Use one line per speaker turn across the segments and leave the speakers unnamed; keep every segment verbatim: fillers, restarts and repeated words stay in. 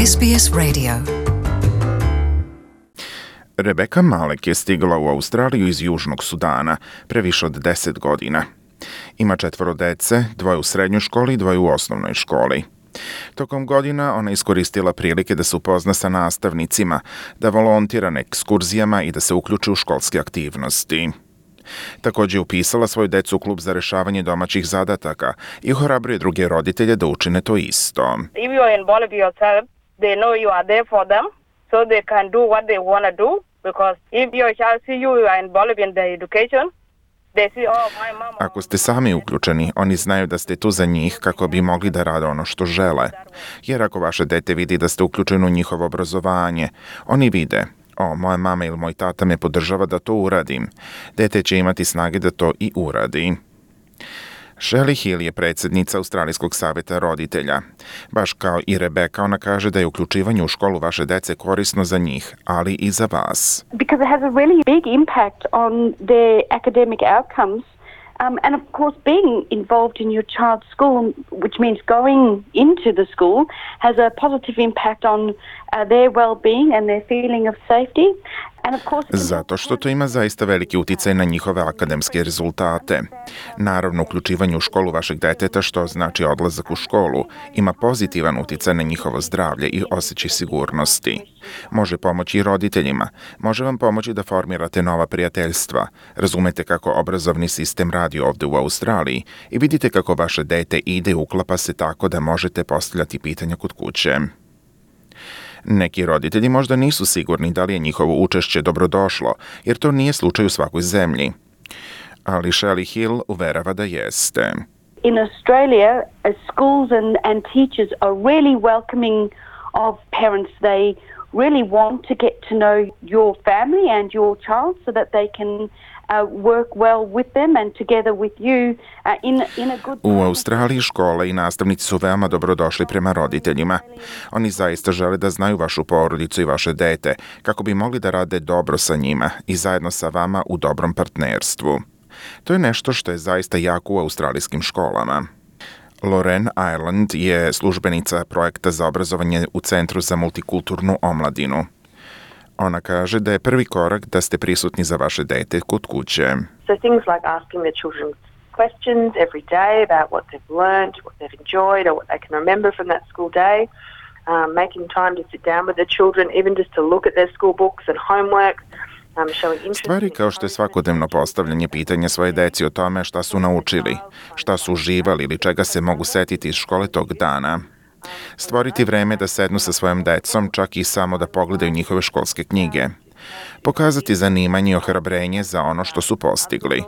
S B S Radio. Rebeka Malek je stigla u Australiju iz Južnog Sudana pre više od deset godina. Ima četvoro dece, dvoje u srednjoj školi i dvoje u osnovnoj školi. Tokom godina ona iskoristila prilike da se upozna sa nastavnicima, da volontira na ekskurzijama i da se uključi u školske aktivnosti. Također je upisala svoju decu u klub za rešavanje domaćih zadataka i ohrabruje druge roditelje da učine to isto.
If you involve yourself, they know you are there for them, so they can do what they want to do. Because if your child see you are involved in their education, they see, oh, my mama...
Ako ste sami uključeni, oni znaju da ste tu za njih kako bi mogli da rade ono što žele. Jer ako vaše dete vidi da ste uključeni u njihovo obrazovanje, oni vide, o, moja mama ili moj tata me podržava da to uradim. Dete će imati snage da to i uradi. Shelley Hill je predsjednica Australijskog savjeta roditelja. Baš kao i Rebeka, ona kaže da je uključivanje u školu vaše dece korisno za njih, ali i za vas.
Because it has a really big impact on their academic outcomes. Um, and of course, being involved in your child's school, which means going into the school, has a positive impact on uh, their well-being and their feeling of safety. And of course,
zato što to ima zaista veliki uticaj na njihove akademske rezultate. Naravno, uključivanje u školu vašeg deteta, što znači odlazak u školu, ima pozitivan uticaj na njihovo zdravlje i osjećaj sigurnosti. Može pomoći i roditeljima. Može vam pomoći da formirate nova prijateljstva. Razumete kako obrazovni sistem radi ovde u Australiji i vidite kako vaše dete ide i uklapa se tako da možete postavljati pitanja kod kuće. Neki roditelji možda nisu sigurni da li je njihovo učešće dobrodošlo, jer to nije slučaj u svakoj zemlji. Ali Shelley Hill uverava da jeste.
In Australia, schools and, and teachers are really welcoming of parents. They really want to get to know your family and your child so that they can Uh, work well with them and together with you uh, in, in a good...
U Australiji škole i nastavnici su veoma dobrodošli prema roditeljima. Oni zaista žele da znaju vašu porodicu i vaše dete, kako bi mogli da rade dobro sa njima i zajedno sa vama u dobrom partnerstvu. To je nešto što je zaista jako u australijskim školama. Lorraine Ireland je službenica projekta za obrazovanje u Centru za multikulturnu omladinu. Ona kaže da je prvi korak da ste prisutni za vaše dete kod kuće.
So things like asking their children questions every day about what they've learned, what they've enjoyed, or what they can remember from that school day. Um, making time to sit down with their children, even just to look at their school books and homework. Um,
Stvari kao što je svakodnevno postavljanje pitanja svoje deci o tome šta su naučili, šta su uživali ili čega se mogu setiti iz škole tog dana. Stvoriti vreme da sednu sa svojom decom, čak i samo da pogledaju njihove školske knjige. Pokazati zanimanje i ohrabrenje za ono što su postigli.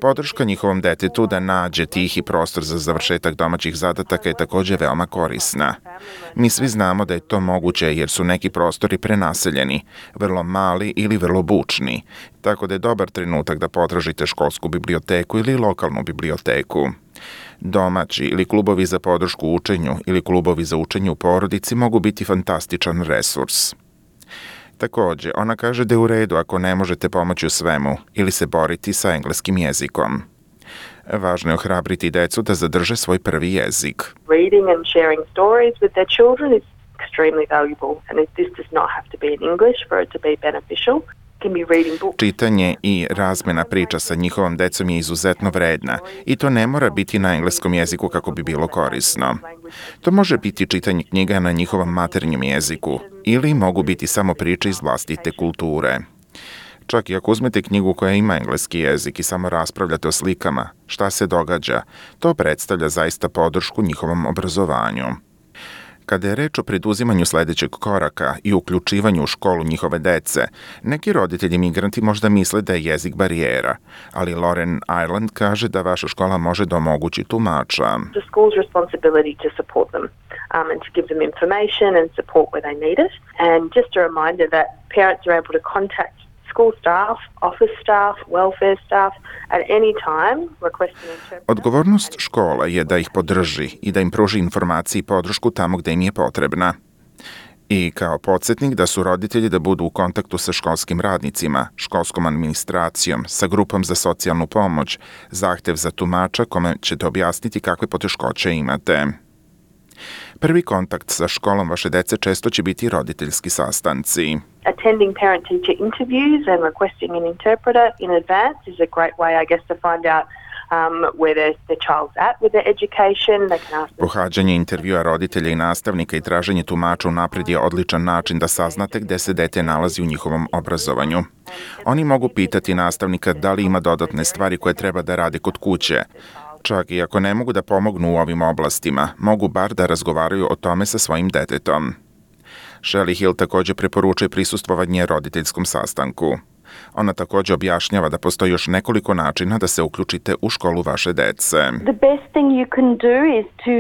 Podrška njihovom detetu da nađe tihi prostor za završetak domaćih zadataka je također veoma korisna. Mi svi znamo da je to moguće jer su neki prostori prenaseljeni, vrlo mali ili vrlo bučni, tako da je dobar trenutak da potražite školsku biblioteku ili lokalnu biblioteku. Domaći ili klubovi za podršku učenju ili klubovi za učenje u porodici mogu biti fantastičan resurs. Također, ona kaže da je u redu ako ne možete pomoći u svemu ili se boriti sa engleskim jezikom. Važno je ohrabriti decu da zadrže svoj prvi jezik.
Reading and sharing stories with their children is extremely valuable and this does not have to be in English for it to be beneficial.
Čitanje i razmjena priča sa njihovom decom je izuzetno vredna i to ne mora biti na engleskom jeziku kako bi bilo korisno. To može biti čitanje knjiga na njihovom maternjem jeziku ili mogu biti samo priče iz vlastite kulture. Čak i ako uzmete knjigu koja ima engleski jezik i samo raspravljate o slikama, šta se događa, to predstavlja zaista podršku njihovom obrazovanju. Kada je reč o preduzimanju sljedećeg koraka i uključivanju u školu njihove dece, neki roditelji migranti možda misle da je jezik barijera, ali Lorraine Ireland kaže da vaša škola može da omogući tumača.
The school's responsibility to support them um, and to give them information and support where they need it. And just a reminder that parents are able to contact school staff, office staff, welfare staff at any time requesting interpretation.
Odgovornost škola je da ih podrži i da im pruži informacije i podršku tamo gde im je potrebna. I kao podsjetnik da su roditelji da budu u kontaktu sa školskim radnicima, školskom administracijom, sa grupom za socijalnu pomoć, zahtev za tumača kome ćete objasniti kakve poteškoće imate. Prvi kontakt sa školom vaše dece često će biti roditeljski sastanci.
Attending parent-teacher interviews and requesting an interpreter in advance is a great way, I guess, to find out Um, where their, their child's at with their education. They can ask them.
Pohađanje intervjua roditelja i nastavnika i traženje tumača unapred je odličan način da saznate gde se dete nalazi u njihovom obrazovanju. Oni mogu pitati nastavnika da li ima dodatne stvari koje treba da rade kod kuće. Čak i ako ne mogu da pomognu u ovim oblastima, mogu bar da razgovaraju o tome sa svojim detetom. Shelley Hill također preporučuje prisustvovanje roditeljskom sastanku. Ona također objašnjava da postoji još nekoliko načina da se uključite u školu vaše dece.
The best thing you can do is to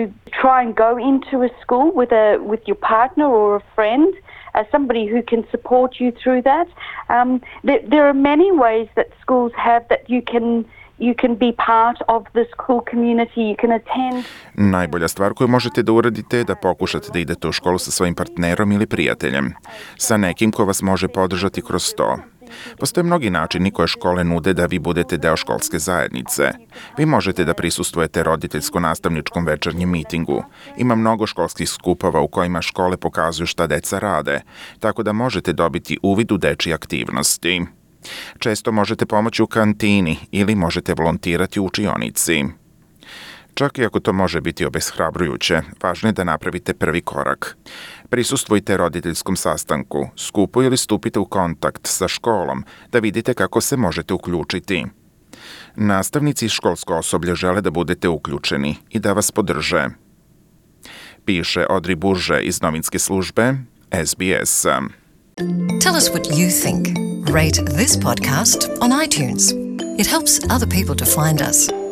try and go into a school with a with your partner or a friend, as somebody who can support you through that. Um, there, there are many ways that schools have that you can You can be part of the school community, you can attend.
Najbolja stvar koju možete da uradite je da pokušate da idete u školu sa svojim partnerom ili prijateljem, sa nekim ko vas može podržati kroz to. Postoje mnogi načini koje škole nude da vi budete deo školske zajednice. Vi možete da prisustvujete roditeljsko-nastavničkom večernjem mitingu. Ima mnogo školskih skupova u kojima škole pokazuju šta deca rade, tako da možete dobiti uvid u dečije aktivnosti. Često možete pomoći u kantini ili možete volontirati u učionici. Čak i ako to može biti obeshrabrujuće, važno je da napravite prvi korak. Prisustvujte roditeljskom sastanku, skupu ili stupite u kontakt sa školom da vidite kako se možete uključiti. Nastavnici i školsko osoblje žele da budete uključeni i da vas podrže. Piše Audrey Bourget iz novinske službe S B S.
Tell us what you think. Rate this podcast on iTunes. It helps other people to find us.